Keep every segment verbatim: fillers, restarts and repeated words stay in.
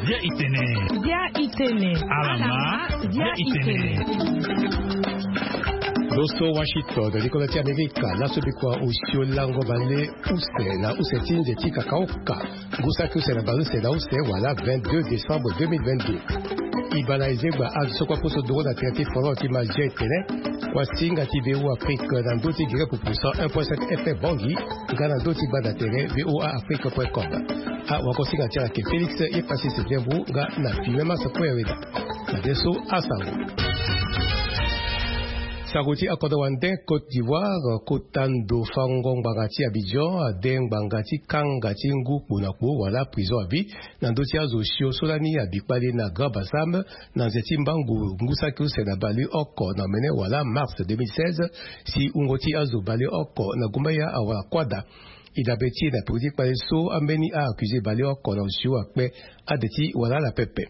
Bia itene. Bia itene. Alama. Bia itene. Loso Washington, likolo ti Amerika, laso bikua osio lango bale use na use ti nze ti kakaoka. Ngu saki use na bale use na use wala vingt-deux décembre deux mille vingt-deux. Ibana ezegba azo so kua poso doro na tere ti foro ti Mazia etene. Kua singa ti V O A Afrique na ndö ti gere pupu cent un point sept F M Bangui, nga na ndö ti gbanda tere V O A Afrique point com. Awako singa ti ala ayeke Félix Epassis Diembu nga na Finemas Kouereda. Na de so asango. Sango ti akodro wande Côte d'Ivoire, kota ndo fango ngbanga ti Abidjan ade ngbanga ti kanga ti ngu kpo na kpo wala prison à vie na ndö ti azo osio so lani abi kpale na Grand Bassam na nze ti mbangu ngu saki use na baleoko na omene wala mars deux mille seize, si wungo ti azo baleoko na gumbaya awara kuâ daa. E dabe ti e na peko ti kpale so ambeni a-accusé baleoko na osio akpe ade ti wala ala pepe.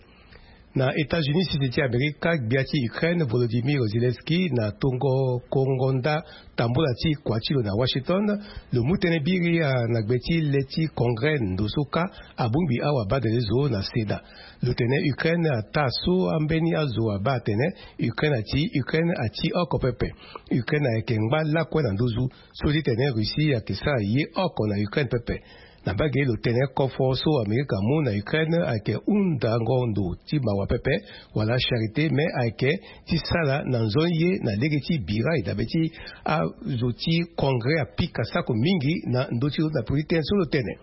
Na États-Unis, sese ti Amerika, gbia ti Ukraine Volodymyr Zelensky na tongo kongo nda tambula ti kua ti lo na Washington, lo mu tënë biri na gbe ti le ti Congrès ndo so kâ abongbi awabadale zo na Sénat. Lo tene Ukraine ataa so ambeni azo abaa atene Ukraine ati, Ukraine ati oko pepe. Ukraine ayeke ngba lakue na nduzu so ti tene Russie ayeke sara ye oko na Ukraine pepe. Na mbage lo tene kofo so Amerika amu na Ukraine ayeke hundango ndo ti mawa pepe wala charité, me ayeke ti sara na nzoni ye na lege ti bira e dabe ti azo ti Congrès apika sako mingi na ndö ti lo na peko ti tënë so lo tene.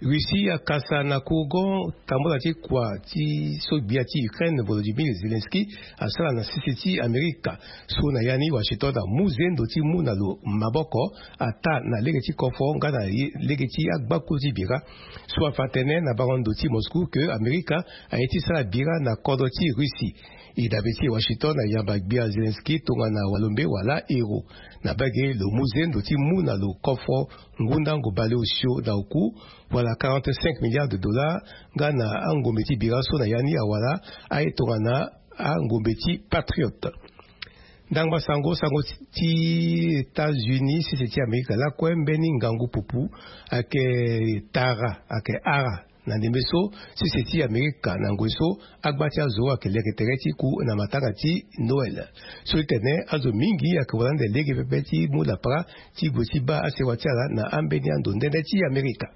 Russie akasa na kourgon tambula ti kua ti so gbia ti Ukraine Volodymyr Zelensky asara na sese ti Amerika. So na ya ni Washington amu zendo ti mu na lo maboko ataa na lege ti kofo nga na ye- lege ti agbakulu ti bira. So afa tënë na bango ndo ti Moscou ke Amerika aye ti sara bira na kodro ti Russie. E dabe ti Washington ayamba gbia Zelensky tongana walombe wala héros. Na mbage lo mu zendo ti mu na lo kofo ngu ndango baleosio na oku wala quarante-cinq milliards de dollars nga na angombe ti bira so na ya ni awara aye tongana angombe ti Patriote. Ndangba sango, sango ti États-Unis, sese ti Amerika lakue, mbeni ngangu pupu ayeke tara, ayeke ara na ndembe so sese ti Amerika na ngoi so agba ti azo ayeke leke tere ti ku na matanga ti Noël. So ti tene azo mingi ayeke wara ande lege pepe ti mu lapara ti gue ti baa asewa ti ala na ambeni ando ndende ti Amerika.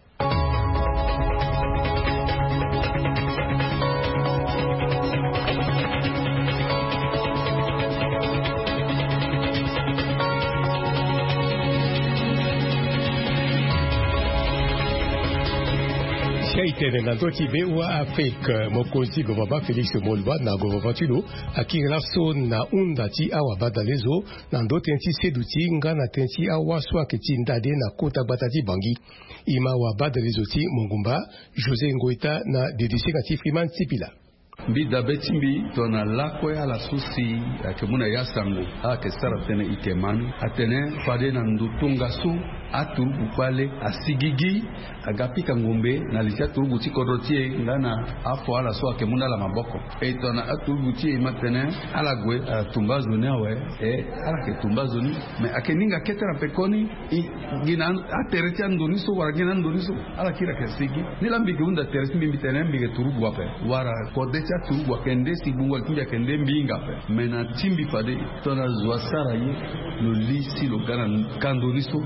Si aye tene na ndö ti V O A Afrique, mokonzi gouvernement Félix Moloba na gouvernement ti lo akiri laso na hunda ti awabadale zo na ndö tënë ti seduti nga na tënë ti awa so ayeke ti ndade na kota gbata ti Bangui. E ma wabadale zo ti mongumba José Ngoïta na dedisinga ti Freeman Sipila. Mbi dabe ti mbi tongana lakue ala so si ayeke mu na ya sango, ala yeke sara tënë e yeke ma ni. Atene fade na ndo tongaso aturugu kpale asigigi aga pika ngombe na li ti aturugu ti kodro ti e nga na afo ala so ayeke mu na ala maboko. E tongana aturugu ti e e ma tene ala gue, ala tumba azo ni awe, e ala yeke tumba azo ni. Me ayeke ninga kete na pekoni, e, gi na atere ti ando ni so wala gi na ando ni so ala kiri ayeke sigi. Nilaa mbi yeke hunda tere ti mbi, mbi tene mbi yeke turugu ape wala kode ti aturugu ayeke nde si gbungo li ti mbi ayeke nde mbi hinga ape. Me na ti mbi fade tongana zo asara ye, lo li si lo ga na kando ni so,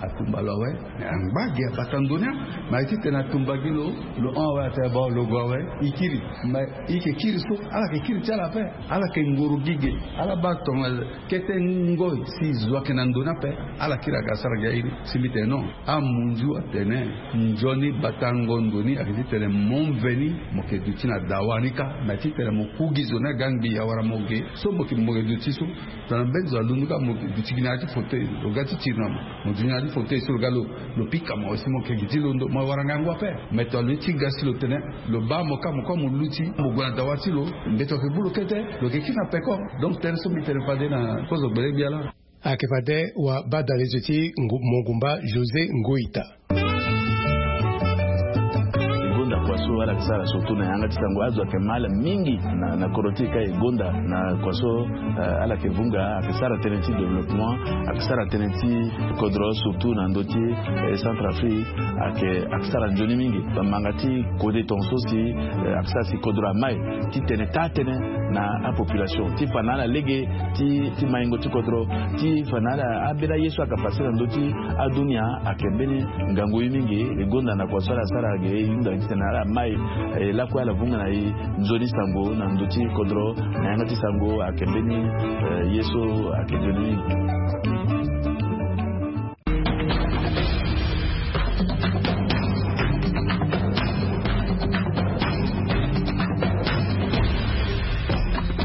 atumba lo awe. Me angba gi abata ndo ni, me aye ti tene atumba gi lo, lo hon awe, atene ba lo gue awe, e kiri. Me e yeke kiri so, ala yeke kiri ti ala ape. Ala yeke ngoro gi ge. Ala baa tongana kete ngoi si zo ayeke na ndo ni ape, ala kiri aga asara gi airi. Si mbi tene non. Amunzu atene nzoni batango ndo ni ayeke ti tene mo mveni mo yeke duti na dawa ni kâ. Me aye ti tene mo ku gi zo ni aga ngbii awara mo ge so mo yeke, mo yeke duti so. Tongana mbeni zo alundu kâ, mo duti gi na ya ti fauteuil, lo ga ti tiri na mo, mo duti na ya ti fauteuil so lo ga lo, lo pika mo awe si mo yeke gi ti londo, mo wara ngangu ape. Me tongana lo ye ti ga si lo tene lo baa mo kâ, mo kue mo luti, mo gue na dawa ti lo, mbeto ayeke gbu lo kete, lo yeke kiri na peko. Donc tënë so mbi tene fade na kozo gbele gbia laa. Ayeke fade wabadale zo ti ngu- mongumba José Ngoïta. Gonda kua So ala yeke sara surtout na yanga ti sango azo ayeke mal mingi na kodro ti e ka e gonda na kua so. Ala yeke vunga ayeke sara tënë ti développement, ayeke sara tënë ti kodro surtout na ndö ti centre afrique. Ayeke sara nzoni mingi bamanga ti kode tonga so si ayeke sara si kodro amai ti tene taa tënë na apopulation ti fa na ala lege ti maingo ti kodro ti fa na ala ambeni aye so ayeke pase na ndö ti adunia. Ayeke mbeni ngangu ye mingi e gonda na kua so ala sara ge e hunda titene ala mai lakue ala vunga na e nzoni sango na ndö ti kodro na yanga ti sango ayeke mbeni ye so ayeke nzoni mingi.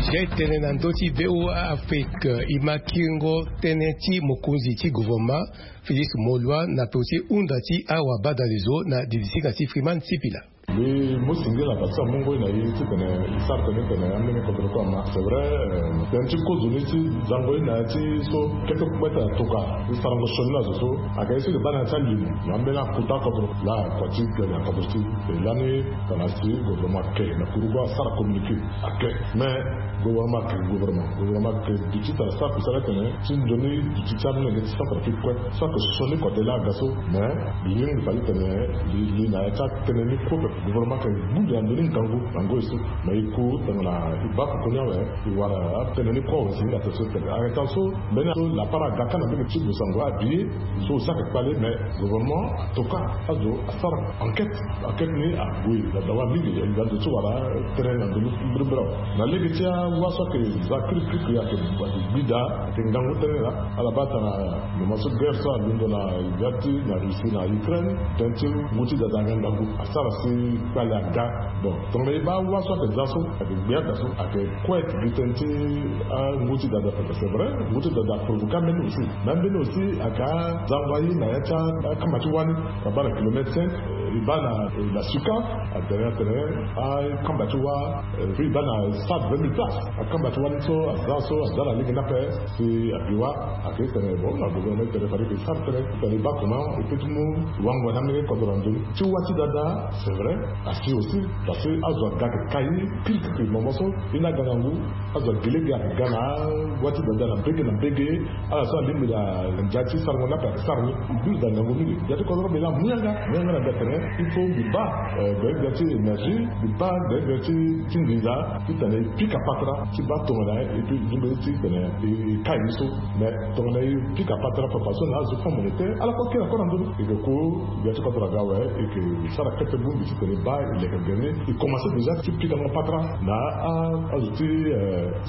Jai tene na ndö ti voa afrique e ma kiringo tënë ti mokonzi ti gouvernement félix moloi na peko ti hunda ti awa badalezo na didisinga ti freeman sipila. Mbi mu singila parce que amu ngoi na e titene e sara tënë tene ambeni kodro kue ama c'est vrai. Tënë ti kozo ni ti zango ye na ya ti so kete kue tene atoka e sarango sioni na zo so. Ayeke ye so e ke baa na ya ti alimo na ambeni akuta kodro laa kua ti tene akodro ti e lani. Tana si gouvernement ake na kurugu asara communiqué ake. Mais gouvernement ake gouvernement gouvernement ake duti tara sara kusala tene ti nzoni duti ti amolenge ti centre afrique kue. So ayeke sioni kua de laa aga so mais lingbi fade tene li na ya ti atënë ni kue pepe gouvernement ayeke gbu li na ndö ni ngangu na ngoi so. Mais e ku tongana e baa koko ni awe e wara atënë ni kue awe si hinga tene so tene ayeke tara so mbeni so lapara aga ka na mbeni ti lo sango abi ye. So aussi ayeke kpale mais gouvernement atoka azo asara enquête. Enquête ni ague na dawa mingi e ga zo ti wara tënë na ndö ni mbirimbiri awe. Na lege ti awa so ayeke za kirikirikiri ayeke gbi daa ayeke ngangu tënë laa. Ala baa tara moment so guerre so alondo na ya ti na russie na ukraine tënë ti ngu ti dada ayeke ngangu asara si kpale aga. Bon tongana e baa awa so ayeke za so ayeke gbia daa so ayeke kue gi tënë ti angu ti dada pepe c'est vrai. Ngu ti dada aprovoke ambeni aussi. Mais ambeni aussi ayeke azango aye na ya ti akamba ti wâ ni. Abaa na kilomètre cinq e baa na suka atene atene akamba ti wâ. Puis e baa na stade vingt mille places akamba ti wâ ni so aza so aza na lege ni ape. Si abi wâ ayeke tene bon na gouvernement tene fade ke sara tënë tene e baa comment e peut ti mu wango na ambeni kodro na ndö ni ti wâ ti dada. C'est vrai. Asi aussi parce que azo aga ayeke kai kirikiri moment so e ni aga na ngu azo age lege ayeke ga na wâ ti dada na mbege na mbege. Ala so alingbi na ndia ti sarango ni ape ayeke sara ni. Mbi use da ngangu mingi ndia ti kodro mbi laa mu yanga mu yanga na ndia tene il faut mbi baa gbele gbia ti énergie mbi baa gbele gbia ti nginza titene e pika patara ti baa tongana e peut lingbi ti tene e kai ni so. Mais tongana e pika patara fafa so na azo fonds monétaire ala kue kiri akue na ndö ni e ke ku. Gbia ti kodro aga awe e ke sara kete bongbi titene e baa e leke gere ni e commence déjà ti pikango patara na azo ti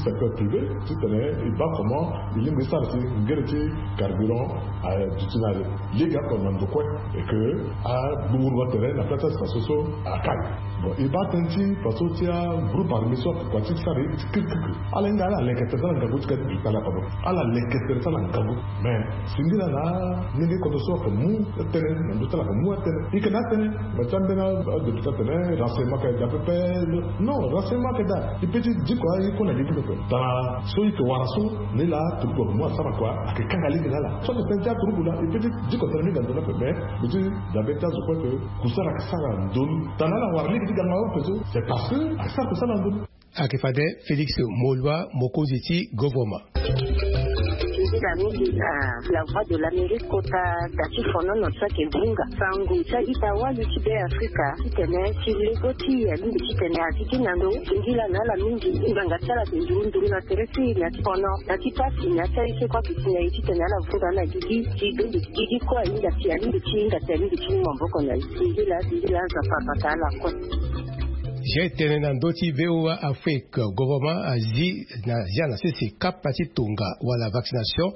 secteur privé titene e baa comment e lingbi e sara si ngere ti carburant aduti na lege oko na ndo kue. E ke agburu atere na place ti faso so akai. Bon e baa tënë ti faso ti agroupe armé so kua ti sara ye ti kirikirikiri ala hinga ala leke tere ti ala ngangu ti ka ti bi kpale akodro. Ala leke tere ti ala ngangu. Mais singila na ndenge kodro so ayeke mu tënë na ndö ti ala ayeke mu atënë e yeke na atënë. Mais ti ambeni adéputé atene renseignement ayeke daa pepe. Non renseignement ayeke daa e peut ti diko aye kue na lege pepe. Tara so e yeke wara so ni laa turugu ayeke mu asara kua ayeke kanga lege na ala so ayeke tënë ti aturugu laa e peut ti diko tënë ni ga ndö ni ape mais mbi ti dabe ti azo kue ke kusara ayeke sara na ndö ni. Tara ala wara lege ti ganga ape so c'est parce que ayeke sara kusara na ndö ni. Ayeke fade félix moloi mokonzi ti govornement. Nzila mingi na la voix de l'amérique kota da ti fonono so ayeke vunga sango ti a-ita wali ti be afrika titene ti lego ti e alingbi titene azi ti na ndo. Singila na ala mingi ngbanga ti ala ayeke nduru nduru na tere ti e na ti fono na ti pasi na ti aye so kue ayeke si na e titene ala vunga na gigi ti dongi gigi kue ahinga si alingbi ti hinga si alingbi ti mu maboko na e. Singila singila azo afa abata ala kue. Jai tene na ndö ti voa afrique govornement azi na zia na sese kapa ti tonga wala vaccination.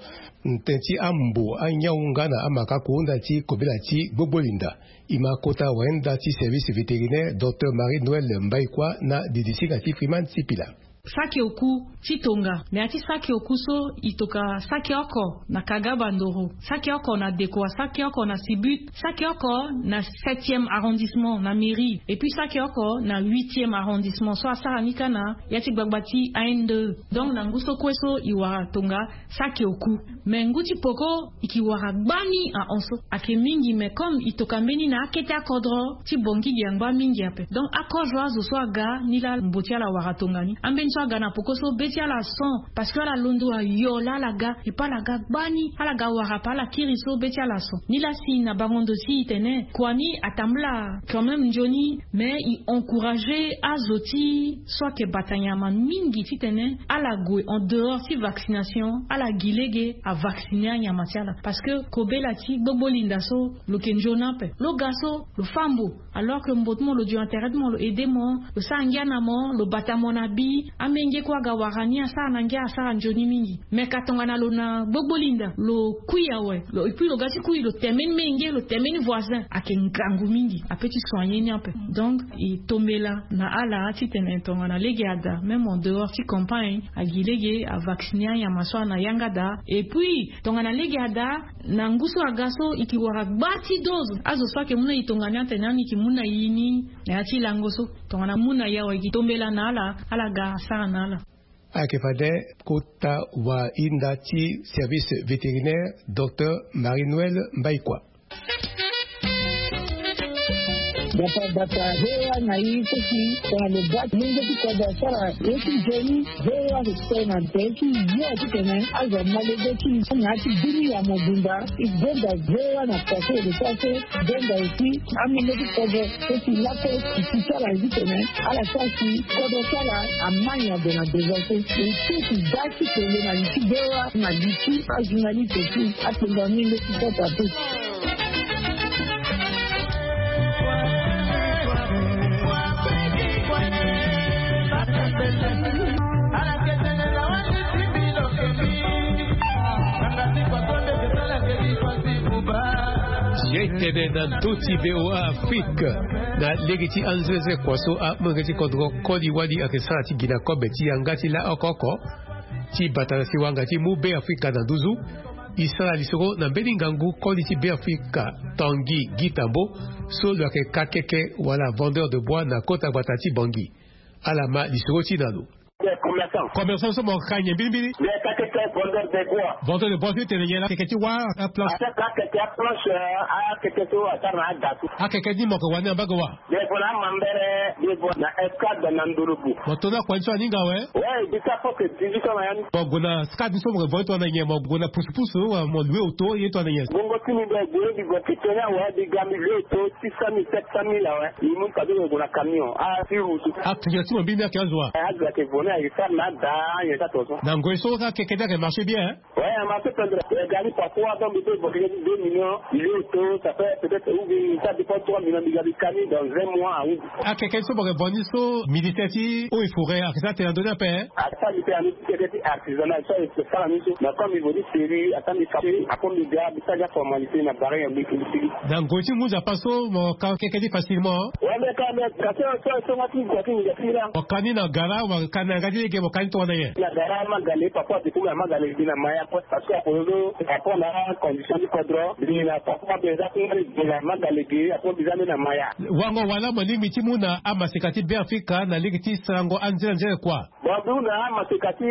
Tënë ti ambo anyau nga na amaka kuhunda ti kobela ti gbogbo linda. E ma kota wayenda ti service vétérinaire docteur marie noël mbaikua na didisinga ti freeman sipila. Saki oku ti tonga na ya ti saki oku so e toka saki oko na Kaga Bandoro, saki oko na Dekoa, saki oko na Sibut, saki oko na septième arrondissement na mairie, et puis saki oko na huitième arrondissement so asara ni kâ na ya ti gbagba ti A N D E. Donc na ngu so kue so e wara tonga saki oku. Mais ngu ti poko e ki wara gbani ahon so ayeke mingi, mais comme e toka mbeni na akete akodro ti Bangui gi angba mingi ape. Donc akozo azo so aga ni laa mbo ti ala wara tongana ni. Ambeni so aga na poko so be ti ala son, parce que ala londo ayo laa ala ga, e pe ala ga gbani, ala ga wara ape, ala kiri so be ti ala son. Ni laa si na bango ndo si e tene kua ni atambula quand même nzoni, mais e encourager azo ti so ayeke bata nyama mingi titene ala gue en dehors ti vaccination, ala gi lege avacciner anyama ti ala. Parce que kobela ti gbogbo linda so lo yeke nzoni ape. Lo ga so lo fâ mbo, alors que mbo ti mo lo duti na tere ti mo, lo aider mo, lo sara ngia na mo, lo bata mo na bi. Amenge kue aga wara ni, asara na ngia, asara nzoni mingi. Mais ka tongana lo na gbogbo linda, lo kui awe, lo, et puis lo ga ti kui, lo tene mbeni menge, lo tene mbeni voisin, ayeke ngangu mingi, ape ti soigner ni ape. Donc e tombela na ala titene tongana lege ada, même en dehors ti campagne, agi lege avacciner anyama so ana yanga daa. Et puis tongana lege ada, na ngu so aga so e ki wara gba ti dose. Azo so ayeke mu na e tongana ni atene ani e ki mu na e ni na ya ti lango so. Tongana mu na e awe, e ki tombela na ala, ala ga asara na ala. Ayeke fade kota wahinda ti service vétérinaire, docteur Marie-Noëlle Mbaïkwa. Bata bata V O A na e so si tongana lo baa ti mungo ti kodro asara ye ti nzoni, V O A ayeke sara na tere ti yo titene azo amalege ti na ya ti bini ya mobimba. E gonda V O A na kua so e lo sara so, e gonda aussi amolenge ti kodro so si lape e si ti ala ye titene ala sara si kodro ti ala ama nyen abe na besoin so. E ti e si baa ti tene na li ti V O A na li ti ajournaliste aussi. Akpengba mingi ti kota pe. Ye tene na ndö ti V O A Afrique, na lege ti anzerezere kua so amolenge ti kodro koli wali ayeke sara ti gi na kobe ti yanga ti laoko oko ti bata na siwa nga ti mu Be Afrika na nduzu. E sara lisoro na mbeni ngangu koli ti Be Afrika, Tanguy Guy Tambo, so lo yeke kakeke wala vendeur de bois na kota gbata ti Bangui. Ala ma lisoro ti na lo. Commerçant. Commerçant so mo ka nyen mbirimbiri? Mais kakeke vendeur de bois. Vendeur de bois so e tene nyen laa? Keke ti wâ, aplanche. Akeke aplanche, akeke so asara na ada so. Akeke ni mo yeke wani na mbage wa? Nde vo na amambere, nde vo na escadre na ndolobu. Mo to na kua ni so aninga awe? Ouais, e bi sa presque dix-huit ans na ya ni. Mo gue na scad ni so mo yeke vo ye tongana nyen? Mo gue na pusu pusu wala mo loue auto ye tongana nyen? Bongo ti mbi, mbi gue, mbi gue ti tene awe, mbi ga mbi loue auto six cent mille, sept cent mille awe. Mbi mu fade mbi gue na camion. Ah, ti route. Akeke ti mo mbeni ayeke azo wa? Eh, azo ayeke vo ni, ayeke sara na ada, nyen ti ato so. Na ngoi so akeke ni ayeke marché bien, hein? Ouais, a marché pendere. E ga ni parfois, donc, mbi peut évoquer deux millions, mbi loue auto, ça fait peut-être, ou bien, ça dépend, trois millions, mbi ga mbi ka ni dans un mois, ah oui. Akeke so mo yeke vo ni so, ministère ti eaux et forêts ayeke sara tene na ndö ni ape, hein? Asara mbi tene na ndö ti keke ti artisanat so ayeke sara ni so. Mais comme mbi vo ni sérieux, asara mbi ka, après mbi ga, mbi sara ni aformalité na barrière mbi, mbi sigi. Na ngoi ti mu Nzapa so mo ka keke ni facilement? Ouais, mais quand même, ka so, so, so, nga ti, nga ti, nga ti, nga. Mo ka ni na gara, mo ka ni na yanga ti lege, mo ka ni tongana nyen? Na gara Magale, parfois, du coup, na Magale, mbi na Maya, quoi. Parce que apono, par rapport na condition ti kodro, mbi na parfois mbi za ti ngali mbi na Magale ge, apo mbi za ni na Maya. Wango wala mo lingbi ti mu na amaseka ti Be Afrika na lege ti sarango anzere anzere kua? Bon, mbi hunda amaseka ti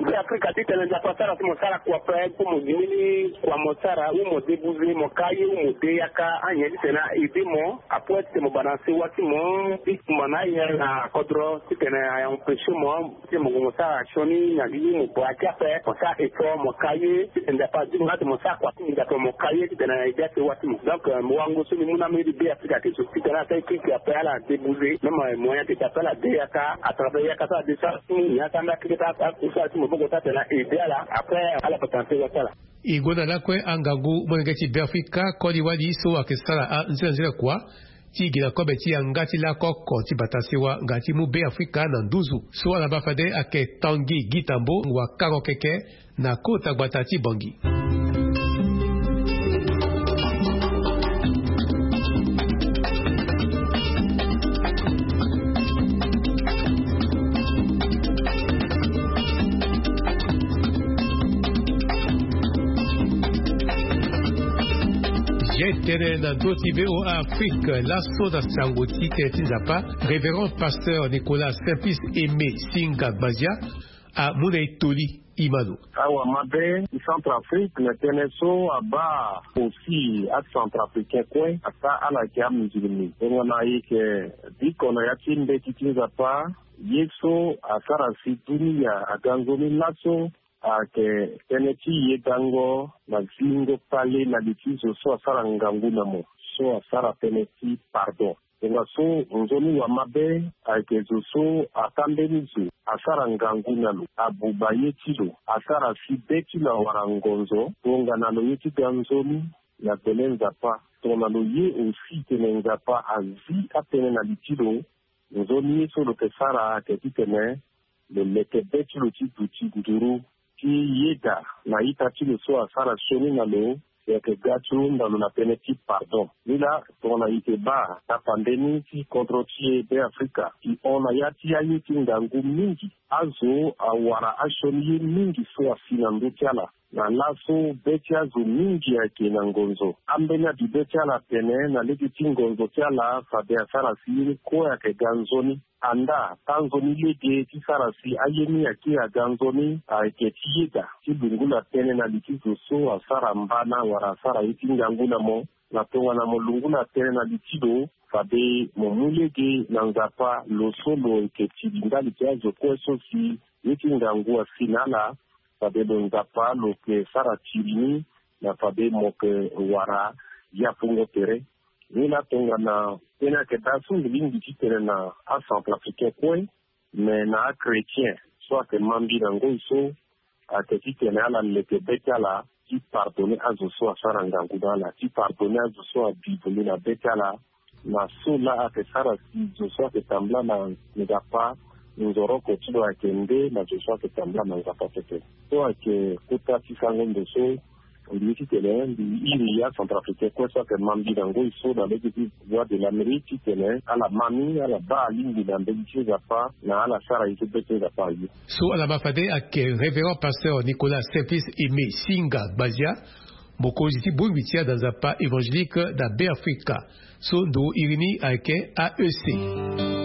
Be Afrika titene Nzapa asara si mo sara kua ape, pour mo gi mbeni kua mo sara, ou mo débouser, mo ka ye, ou mo de yaka, anyen titene a aider mo, apo titene mo bana sewa ti mo, ti kumba na aye na kodro, titene a empêcher mo, ti mo gue mo sara sioni na gi mo bua ti ape, mo sara effort, mo ka ye, ti tene Nzapa azi mo na ti mo sara kua ti mo Nzapa mo ka ye, ti tene na ede asewa ti mo. Donc, euh, mo wango so mbi mu na mbeni Be Afrika ti so, ti tene asara équipe ape ala débouser, même, euh, moyen ti ape ala de yaka, à travers yaka so ala de sara ti mo, ni asara mbi akeke ti akusala ti maboko ti atene na ede ala, après, ala bata na sewa ti ala. E gonda lakue angangu molenge ti Be Afrika koli wali so ayeke sara anzere anzere kua, ti gi na kobe ti yanga ti laoko oko ti bata sewa nga ti mu Be Afrika na nduzu. So ala baa fade ayeke Tanguy Guy Tambo, wakango keke na kota gbata ti Bangui. Tene na ndo ti VOA Afrique laso na sango ti tene ti Nzapa, Révérend Pasteur Nicolas Simplice Aimé Singa Gbazia amu na e toli. Imano. Awa mabe ti Centrafrique na tënë so abaa aussi aCentrafricain kue ata ala yeke amusulmi. Tongana e yeke biko na ya ti mbeti ti Nzapa, ye so asara si dunia aga nzoni laso ayeke tënë ti yedango na zingo kpale na li ti zo so asara ngangu na mo, so asara tënë ti pardon. Tongaso nzoni wa mabe ayeke zo so ata mbeni zo asara ngangu na lo, abuba ye ti lo, asara si be ti lo awara ngonzo, tongana lo ye ti ga nzoni na gbele Nzapa. Tongana lo ye aussi tene Nzapa azi atënë na li ti lo, nzoni ye so lo yeke sara ayeke titene lo leke be ti lo ti duti nduru ti yeda na ita ti lo so asara sioni na lo, si ayeke ga ti hunda lo na tënë ti pardon. Ni laa tongana e yeke baa tapande ni ti kodro ti e Beafrika, e hon na ya ti aye ti ngangu mingi. Azo awara asioni ye mingi so asi na ndö ti ala. Na laso be ti azo mingi ayeke na ngonzo. Ambeni abibe ti ala atene na lege ti ngonzo ti ala fade asara si ye ni kue ayeke ga nzoni. Andaa tanzoni lege ti sara si aye ni akiri aga nzoni ayeke ti yeda ti lungula tënë na li ti zo so asara mbana wala asara ye ti ngangu na mo. Na tongana mo lungula tënë na li ti lo, fade mo mu lege na Nzapa lo so lo yeke tiri ndali ti azo kue so si ye ti ngangu asi na ala. Fade lo Nzapa lo yeke sara tiri ni na fade mo yeke wara yapungo tere. Ni laa tongana tënë ayeke daa so mbi lingbi titene na aCentrafricain kue, me na achrétien so ayeke ma mbi na ngoi so, ayeke titene ala leke be ti ala ti pardonner azo so asara ngangu na ala, ti pardonner azo so abi vundu na be ti ala. Na so laa ayeke sara si zo so ayeke tambula na Nzapa nzoroko ti lo ayeke nde na zo so ayeke tambula na Nzapa pepe. So ayeke kota ti sango ndo so mbi ye titene mbi iri aCentrafricain kue so ayeke ma mbi na ngoi so na lege ti Voix de l'Amérique titene ala ma ni, ala baa alingbi na mbeni ti Nzapa na ala sara ye so be ti Nzapa aye. So ala ma fade ayeke Révérend Pasteur Nicolas Simplice Aimé Singa Gbazia, mokonzi ti bongbi ti ada Nzapa évangélique na Beafrika. So ndo iri ni ayeke A E C.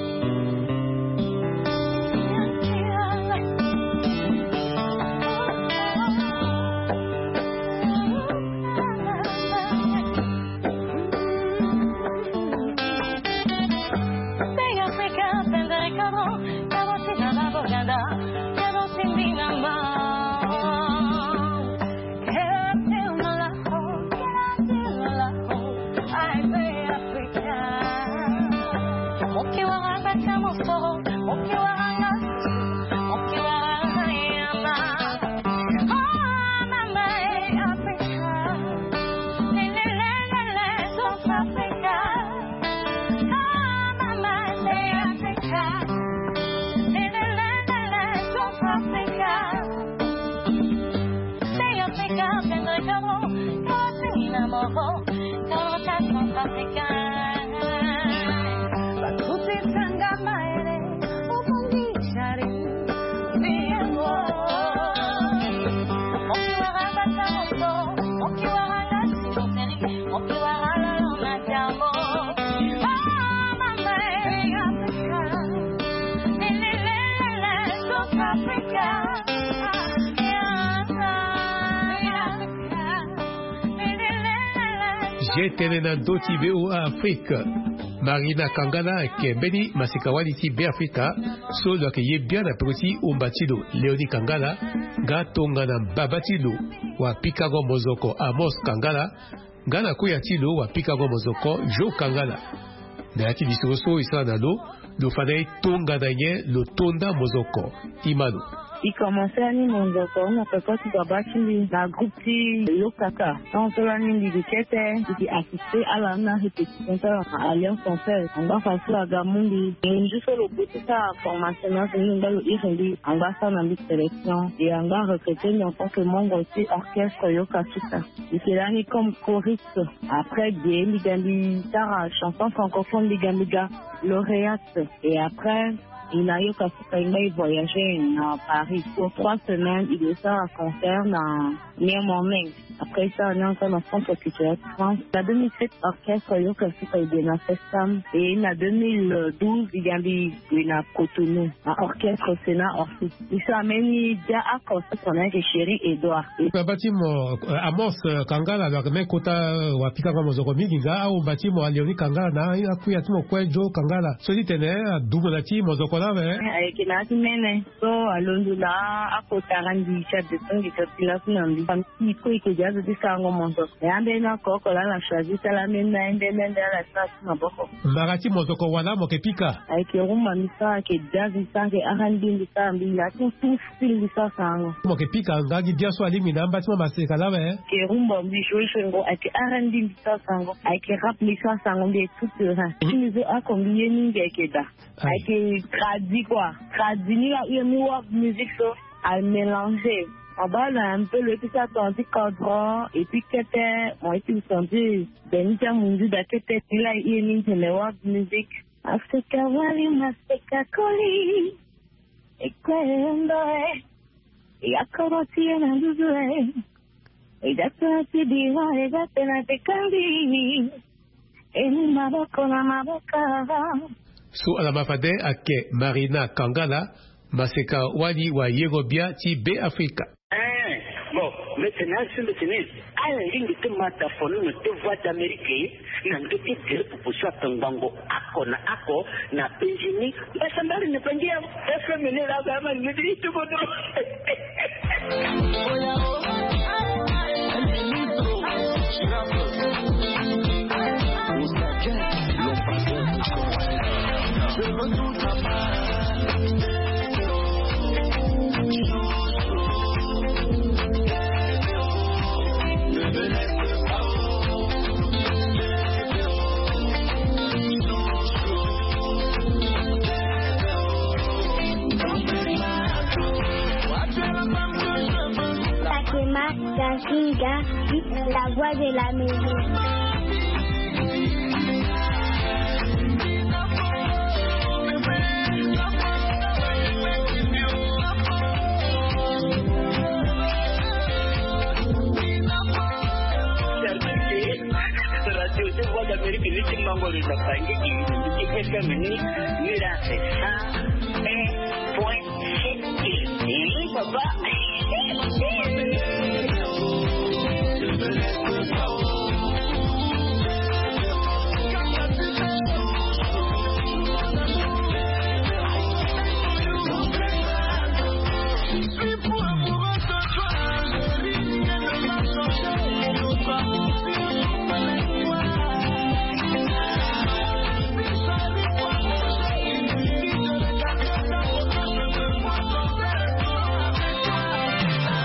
Ye tene na ndö ti VOA Afrique. Marina Kangala ayeke mbeni masika-wali ti Beafrika so lo yeke ye bian na peko ti omba ti lo Léonie Kangala, nga tongana baba ti lo wapikango mozoko Amos Kangala, nga na koya ti lo wapikango mozoko Jo Kangala. Na ya ti lisoro so e sara na lo, lo fa na e tongana nyen lo to nda mozoko. Imano. E komanse ani mozoko na peko ti baba ti mbi na groupe ti Yokaka. Tongaso lani mbi gi kete mbi gi assisté ala na répétition ti ala na Alliance Française. Angba façon aga mu mbi, ngu so lo gue ti sara formation na azo ni, angba lo iri mbi, angba asara na mbi sélection. E angba recruté mbi en tant que membre ti orchestre Yokaka. Mbi yeke lani comme choriste. Après ge mbi ga mbi sara chanson francophone, mbi ga mbi ga lauréate. Et après, e na Yokaka, e ngba e voyagé na Paris pour trois semaines. E ke sara concert na Néanmoins, après ça, on est encore dans le centre culturel France. Na deux mille sept, orchestre Yoka Suka e gue na Festam. Et na deux mille douze, e ga mbi gue na Cotonou, na orchestre Sénat Orsi. Mbi so ameni dia oko so tongana ayeke Chéri Edouard. Baba ti mo, eh, Amos, eh, Kangala, lo yeke même kota, eh, wapika nga mozoko mingi nga, ahomba ti mo Léonie Kangala na akuya ti mo kue Joe Kangala. So ti tene, eh, adumu na ti mozoko laa awe. Eh, ayeke na ya ti mene. So alondo na akota randi ti adeso ngi ti laso na mbi. Famille ti e kue e yeke dia azo ti sarango mozoko. E ambeni oko oko laa ala choisi ti ala ambeni na ye nde nde nde ala ti na ya ti maboko. Mbara ti mozoko wala mo yeke pika? Ayeke rumba mbi sara, ayeke jazz mbi sara, ayeke R and B mbi sara, mbi ya ti tout style mbi sara sarango. Mo yeke pika nga gi bia so alingbi na amba ti mo maseka laa awe? Ayeke rumba mbi joue joue ngo, ayeke R and B mbi sara sarango, ayeke rap mbi sara sarango, mbi ye tout terrain. Mhm. Ti mbi so oko mbi ye mingi ayeke daa. Aye. Ayeke tradi quoi. Tradi ni la, e mu world music so amélanger. Mo baa na un peu lo ye ti sara tonga ti kodro et puis kete, mo ye ti senti beni ti amundu daa kete. Ni la e ye ni tene world music. Maseka wali, maseka koli. E kue ndo e. E ya kodro ti e na nduzu e. E da tena ti biro, e da tena ti kandi. E mu maboko na maboko. So ala ma fade ayeke Marina Kangala, maseka wali wayengo bia ti Be Afrika. Eh, bon, mbi tene asi mbi tene, ala lingbi ti ma da fono na ti Voix d'Amérique na ndö ti gere pupu so atongbango oko na oko na penzi ni. Mbasambari na bangi ya F M ni la ba ma ni ti tubo do. Fatima Gazinga, la voix de la maison. Radio ti Voix d'Amérique ni ti mango lo na bangi i ti F M ni, ni la c'est cent un point sept. Eh, papa.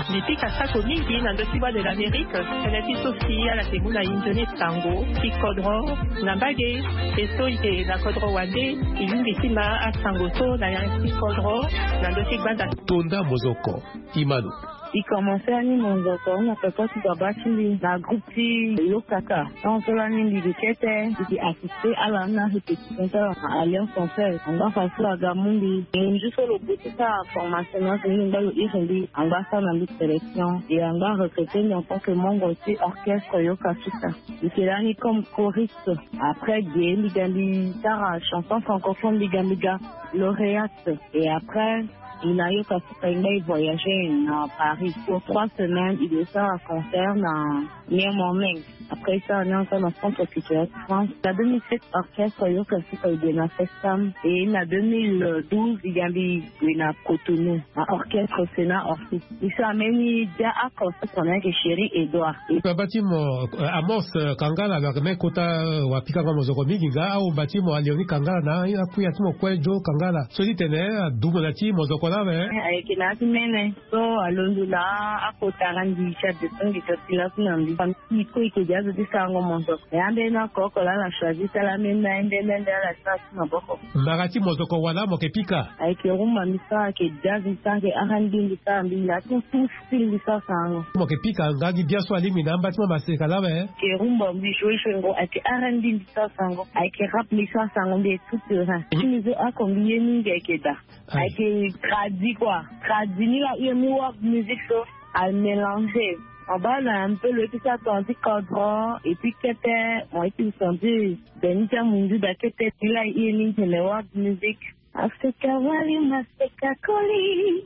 Mbi pika sako mingi na ndö ti Voix de l'Amérique, tënë ti so si ala yeke mu na e nzoni sango ti kodro na mbage, e so e yeke na kodro wande, e lingbi ti ma asango so na ya ti kodro na ndö ti gbanda. Tonda mozoko. Imano. E commencer ani mozoko na peko ti baba ti mbi na groupe ti Lokaka. Tant so lani mbi yeke kete, mbi yeke assister ala na répétition ti ala na Alliance Française. Angba façon aga mu mbi. Ngu so lo gue ti sara formation na so ni ngba lo iri mbi. Angba sara na mbi sélection. Et angba recruter mbi en tant que membre ti orchestre Yoka Suka. Mbi yeke lani comme choriste. Après ge mbi ga mbi sara chanson francophone mbi ga mbi ga lauréate. Et après, e na Yoka Suka e ngba e voyager na Paris. Pour trois semaines, e gue sara concert na Néanmoins. Après ça, on est encore dans le centre culturel France. Na deux mille sept, orchestre Yoka Suka e gue na Festam. Et na deux mille douze, e ga mbi gue na Cotonou, na orchestre Sénat Orsi. Mbi so ameni dia oko so tongana ayeke Chéri Edouard. Baba ti mo, eh, Amos, eh, Kangala, lo yeke même kota, eh, wapika nga mozoko mingi nga, ahomba ti mo Léonie Kangala na akuya ti mo kue Joe Kangala. So ti tene, eh, adumu na ti mozoko laa awe. Eh, ayeke na ya ti mene. So alondo na akota randi ti adeso ngi ti laso na mbi. Famille ti e kue e yeke dia azo ti sarango mozoko. E ambeni oko oko laa ala choisi ti ala ambeni na ye nde nde nde ala ti na ya ti maboko. Mbara ti mozoko wala mo yeke pika? Ayeke rumba mbi sara, ayeke jazz mbi sara, ayeke R and B mbi sara, mbi la tout tout style mbi sara sarango. Mo yeke pika nga gi bia so alingbi na amba ti mo maseka laa awe? Ayeke rumba mbi joue joue ngo, ayeke R and B mbi sara sarango, ayeke rap mbi sara sarango, mbi ye tout terrain. Mhm. Ti mbi so oko mbi ye mingi ayeke daa. Aye. Ayeke tradi quoi. Tradi ni la, e mu world music so amélanger. Abala un peu lo ye ti sara tonga ti kodro et puis kete mo ye ti sandi. Beni ti amundu da kete ti la i ye ni tene world music. Afrika wali maseka koli.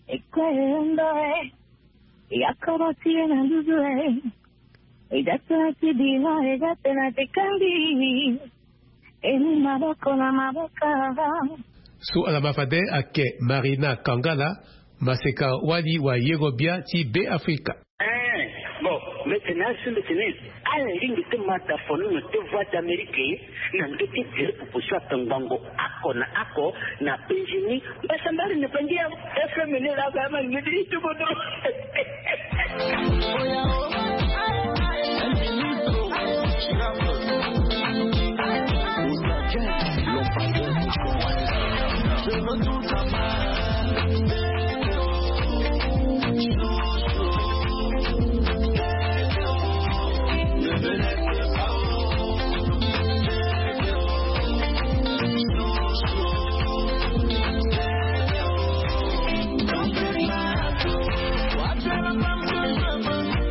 Ekwe ndo e. Ya koro ti ye na nduzu e. E da tena ti bino e da tena ti kandi. E ni maboko na maboko. So ala ma fade ake Marina Kangala, maseka wali wa yengo bia ti Be Afrika. Eh, bon, mbe tene asu mbe tene ala lingbi ti ma da fonono ti Voix d'Amérique na ndö ti direct proposition ake ngbongo oko na oko na penzi ni. Mbasambari ni penzi ya F M ni la ba ma ni di tubodo.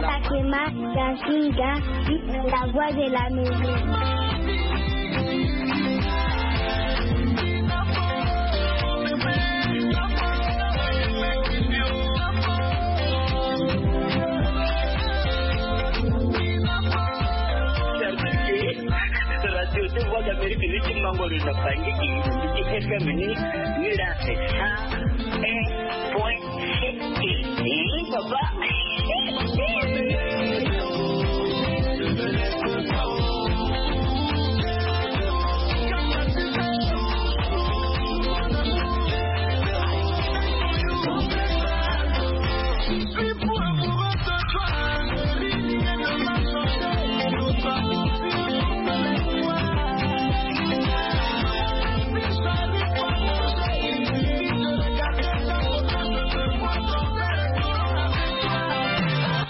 Sakema Gasinga, la voix de la maison. Radio ti Voix d'Amérique ni ti mango lo na bangi ki ni ti F M ni, ni la c'est ça. Eh, point. Eh, papa.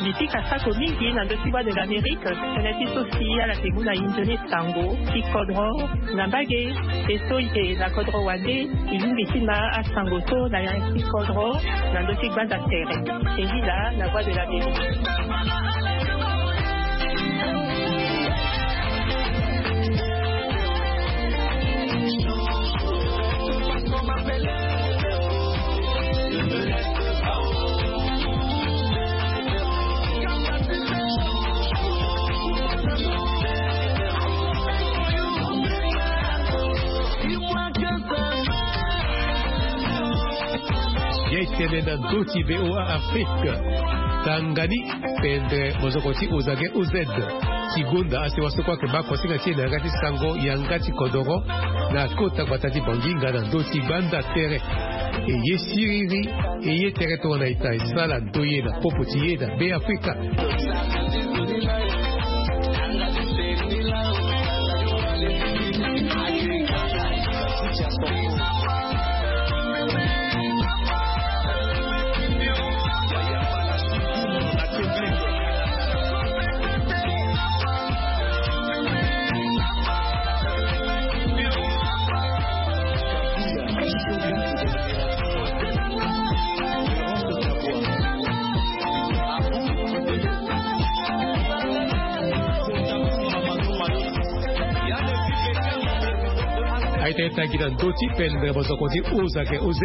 Mbi pika sako mingi na ndö ti Voix de l'Amérique, tënë ti so si ala ke mu na inzo ni sango ti kodro na mbage. E so e yeke na kodro wande, e lingbi ti ma asango so na ya ti kodro na ndö ti gbanda tere. E lila na Voix de l'Amérique. Ye tene na ndö ti V O A Afrique. Tanga ni pendere mozoko ti Ozage O Z ti gonda asewa so kue ayeke baa kosinga ti e na yanga ti sango yanga ti kodoro na kota gbata ti Bangui nga na ndö ti gbanda tere. E ye siriri, e ye tere tongana ita e sala ndoye na popo ti e na Be Afrika. Aita e tangi na ndö ti pendere mozoko ti Ozake O Z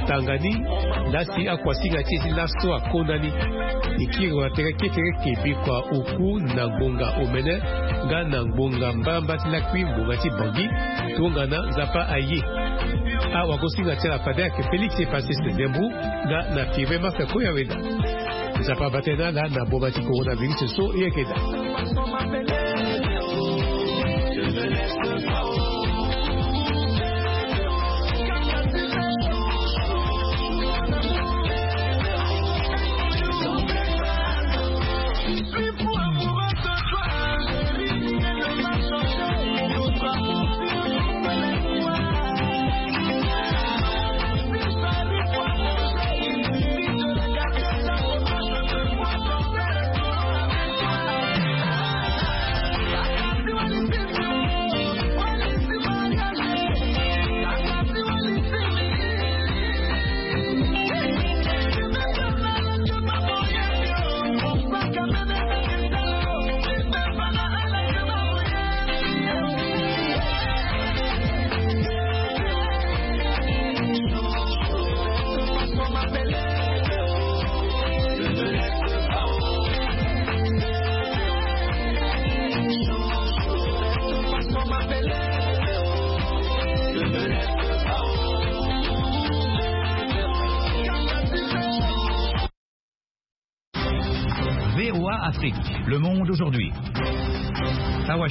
tanga ni, laa si akuasinga ti e ti laso akondani. E kiri na tere kekereke bikua oku na ngbonga omene nga na ngbonga mbarambara ti lakui ngbonga ti Bangui. Tongana Nzapa aye, awagosinga ti ala fade ayeke Félix Epassé Ndembu nga na Firmin Marc Koyaweda. Nzapa abaa tënë na ala na boma ti coronavirus so e yeke daa. Le monde aujourd'hui. À Washington.